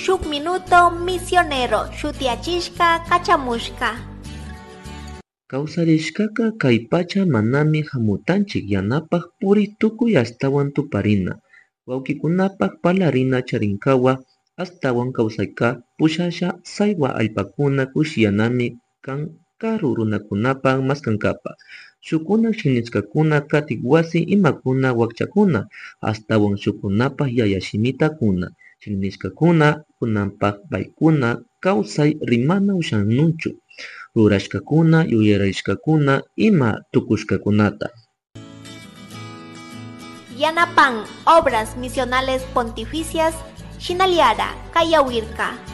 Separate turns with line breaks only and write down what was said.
Shuk Minuto Misionero shutiyachishka kachamushka.
Kawsarishkaka kay pacha manami hamutanchik yanapak puri tukuy ashtawan tuparina, wawkikunapak parlarina charinkawa ashtawan kawsayka pushasha saywa allpakuna kushiyanami kan karu runakunapak maskankapa, shukkuna shiknishkakuna katik wasi imakuna wakchakuna, ashtawan shukunapak yaya shimitakuna, shiknishkakuna kunanpak paykuna kawsay rimana ushanunchu, rurashkakuna yuyarishkakuna ima tukushkakunata.
Yanapan Obras Misionales Pontificias, Shinaliara, Kayawirka.